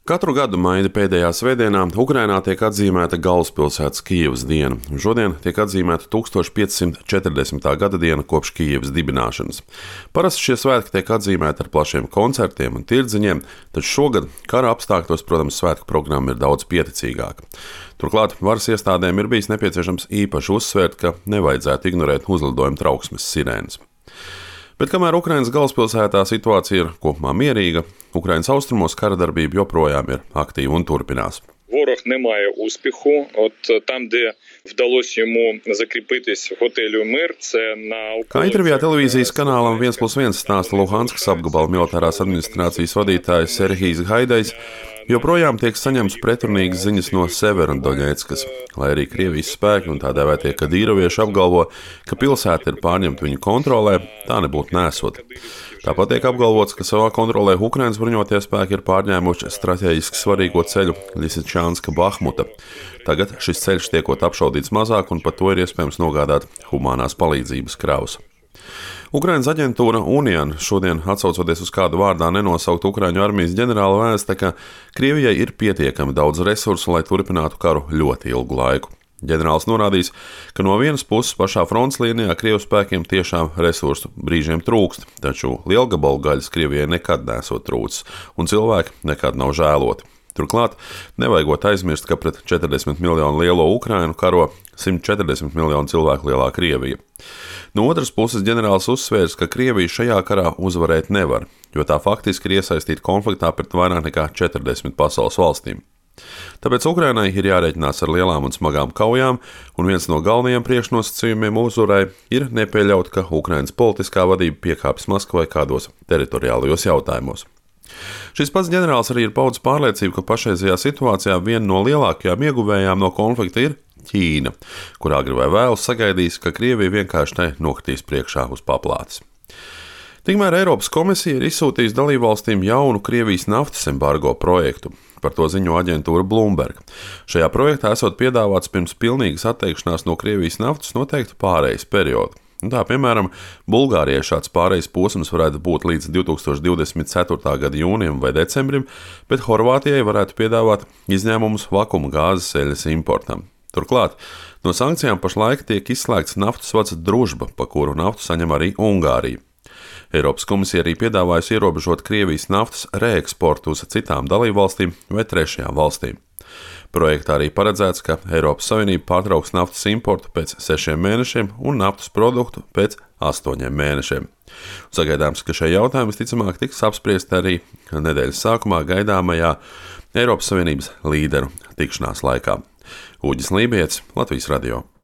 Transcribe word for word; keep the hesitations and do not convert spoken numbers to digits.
Katru gadu maija pēdējā svētdienā Ukrainā tiek atzīmēta galvaspilsētas Kijevas diena. Šodien tiek atzīmēta tūkstoš piecsimt četrdesmitā gada diena kopš Kijevas dibināšanas. Parasti šie svētki tiek atzīmēti ar plašiem koncertiem un tirdziņiem, taču šogad kara apstākļos, protams, svētku programma ir daudz pieticīgāka. Turklāt varas iestādēm ir bijis nepieciešams īpaši uzsvērt, ka nevajadzētu ignorēt uzlidojumu trauksmes sirēnas. Bet kamēr Ukrainas galvaspilsētā situācija ir kopumā mierīga, Ukrainas austrumos kara darbība joprojām ir aktīva un turpinās. Ворог не має успіху. От там, де вдалося йому закріпитись в готелю «Мир», це на... Kā intervijā televīzijas kanālam viens plus viens stāsta Luhanskas apgabala militārās administrācijas vadītājs Serhijs Haidajs, joprojām tiek saņemts pretrunīgas ziņas no Severodoņetskas, lai arī Krievijas spēki un tā dēvētie kadīrovieši apgalvo, ka pilsēta ir pārņemta viņu kontrolē, tā nebūtu nesot. Tāpat tiek apgalvots, ka savā kontrolē Ukrainas bruņotie spēki ir pārņēmuši strateģiski svarīgo ceļu Ļisičānska-Bahmuta. Tagad šis ceļš tiekot apšaudīts mazāk un par to ir iespējams nogādāt humanās palīdzības kravas. Ukrainas aģentūra Unian šodien, atsaucoties uz kādu vārdā nenosaukt Ukraiņu armijas ģenerālu, vēsta, ka Krievijai ir pietiekami daudz resursu, lai turpinātu karu ļoti ilgu laiku. Ģenerālis norādījis, ka no vienas puses pašā frontes līnijā Krievu spēkiem tiešām resursu brīžiem trūkst, taču lielgabalu gaļas Krievijai nekad nesot trūcis, un cilvēki nekad nav žēloti. Turklāt nevajagot aizmirst, ka pret četrdesmit miljonu lielo Ukrainu karo simt četrdesmit miljonu cilvēku lielā Krievija. No otras puses ģenerālis uzsvērs, ka Krievija šajā karā uzvarēt nevar, jo tā faktiski ir iesaistīta konfliktā pret vairāk nekā četrdesmit pasaules valstīm. Tāpēc Ukrainai ir jārēķinās ar lielām un smagām kaujām, un viens no galvenajiem priekšnosacījumiem uzvarai ir nepieļaut, ka Ukrainas politiskā vadība piekāpjas Maskavai kādos teritoriālajos jautājumos. Šis pats ģenerālis arī ir paudis pārliecību, ka pašreizajā situācijā viena no lielākajām ieguvējām no konflikta ir Ķīna, kurā agri vai vēlu sagaidīs, ka Krievija vienkārši tai nokritīs priekšā uz paplātes. Tikmēr Eiropas komisija ir izsūtījusi dalībvalstīm jaunu Krievijas naftas embargo projektu. Par to ziņo aģentūra Bloomberg. Šajā projektā esot piedāvāts pirms pilnīgas atteikšanās no Krievijas naftas noteiktu pārejas periodu. Tā, piemēram, Bulgārijai šāds pārejas posms varētu būt līdz divi tūkstoši divdesmit ceturtā gada jūnijam vai decembrim, bet Horvātijai varētu piedāvāt izņēmumus vakuma gāzes eļļas importam. Turklāt no sankcijām pašlaik tiek izslēgts naftas vads Družba, pa kuru naftu saņem arī Ungārija. Eiropas komisija arī piedāvājusi ierobežot Krievijas naftas reeksportu uz citām dalībvalstīm vai trešajām valstīm. Projektā arī paredzēts, ka Eiropas Savienība pārtrauks naftas importu pēc sešiem mēnešiem un naftas produktu pēc astoņiem mēnešiem. Sagaidāms, ka šie jautājumi visticamāk tiks apspriesti arī nedēļas sākumā gaidāmajā Eiropas Savienības līderu tikšanās laikā. Uģis Lībijets, Latvijas radio.